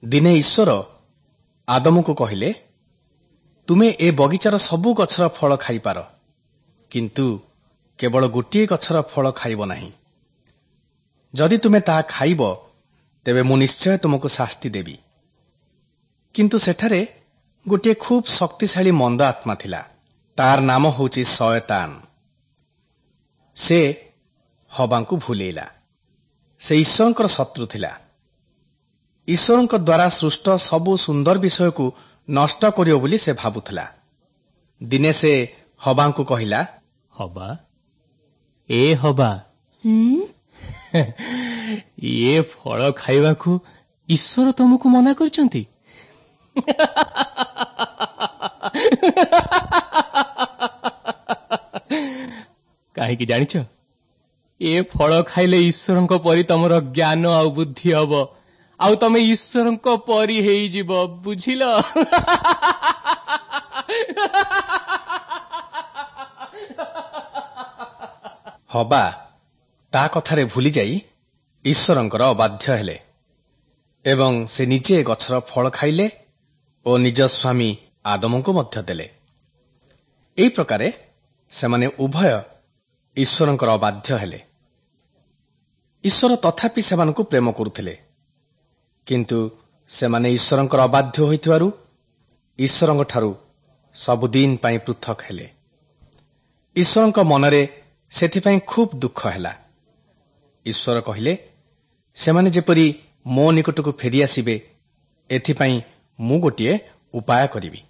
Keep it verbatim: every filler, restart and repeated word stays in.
ଦିନେ ଈଶ୍ୱର ଆଦମକୁ କହିଲେ, ତୁମେ ଏ ବଗିଚାର ସବୁ ଗଛର ଫଳ ଖାଇପାର, କିନ୍ତୁ କେବଳ ଗୋଟିଏ ଗଛର ଫଳ ଖାଇବ ନାହିଁ। ଯଦି ତୁମେ ତାହା ଖାଇବ, ତେବେ ମୁଁ ନିଶ୍ଚୟ ତୁମକୁ ଶାସ୍ତି ଦେବି। କିନ୍ତୁ ସେଠାରେ ଗୋଟିଏ ଖୁବ୍ ଶକ୍ତିଶାଳୀ ମନ୍ଦ ଆତ୍ମା ଥିଲା। ତାର ନାମ ହେଉଛି ଶୟତାନ। ସେ ହବାଙ୍କୁ ଭୁଲେଇଲା। ସେ ଈଶ୍ୱରଙ୍କର ଶତ୍ରୁ ଥିଲା। ଈଶ୍ୱରଙ୍କ ଦ୍ୱାରା ସୃଷ୍ଟ ସବୁ ସୁନ୍ଦର ବିଷୟକୁ ନଷ୍ଟ କରିବ ବୋଲି ସେ ଭାବୁଥିଲା। ଦିନେ ସେ ହବାଙ୍କୁ କହିଲା, ହବା, ଏ ହବା, ଏ ଫଳ ଖାଇବାକୁ ଈଶ୍ୱର ତମକୁ ମନା କରିଛନ୍ତି। କାହିଁକି ଜାଣିଛ? ଏ ଫଳ ଖାଇଲେ ଈଶ୍ୱରଙ୍କ ପରି ତମର ଜ୍ଞାନ ଆଉ ବୁଦ୍ଧି ହବ, ଆଉ ତମେ ଈଶ୍ୱରଙ୍କ ପରି ହେଇଯିବ, ବୁଝିଲ? ହବା ତା କଥାରେ ଭୁଲିଯାଇ ଈଶ୍ୱରଙ୍କର ଅବାଧ୍ୟ ହେଲେ ଏବଂ ସେ ନିଜେ ଗଛର ଫଳ ଖାଇଲେ ଓ ନିଜ ସ୍ୱାମୀ ଆଦମଙ୍କୁ ମଧ୍ୟ ଦେଲେ। ଏହି ପ୍ରକାରେ ସେମାନେ ଉଭୟ ଈଶ୍ୱରଙ୍କର ଅବାଧ୍ୟ ହେଲେ। ଈଶ୍ୱର ତଥାପି ସେମାନଙ୍କୁ ପ୍ରେମ କରୁଥିଲେ, କିନ୍ତୁ ସେମାନେ ଈଶ୍ୱରଙ୍କର ଅବାଧ୍ୟ ହୋଇଥିବାରୁ ଈଶ୍ୱରଙ୍କଠାରୁ ସବୁଦିନ ପାଇଁ ପୃଥକ ହେଲେ। ଈଶ୍ୱରଙ୍କ ମନରେ ସେଥିପାଇଁ ଖୁବ୍ ଦୁଃଖ ହେଲା। ଈଶ୍ୱର କହିଲେ, ସେମାନେ ଯେପରି ମୋ ନିକଟକୁ ଫେରିଆସିବେ, ଏଥିପାଇଁ ମୁଁ ଗୋଟିଏ ଉପାୟ କରିବି।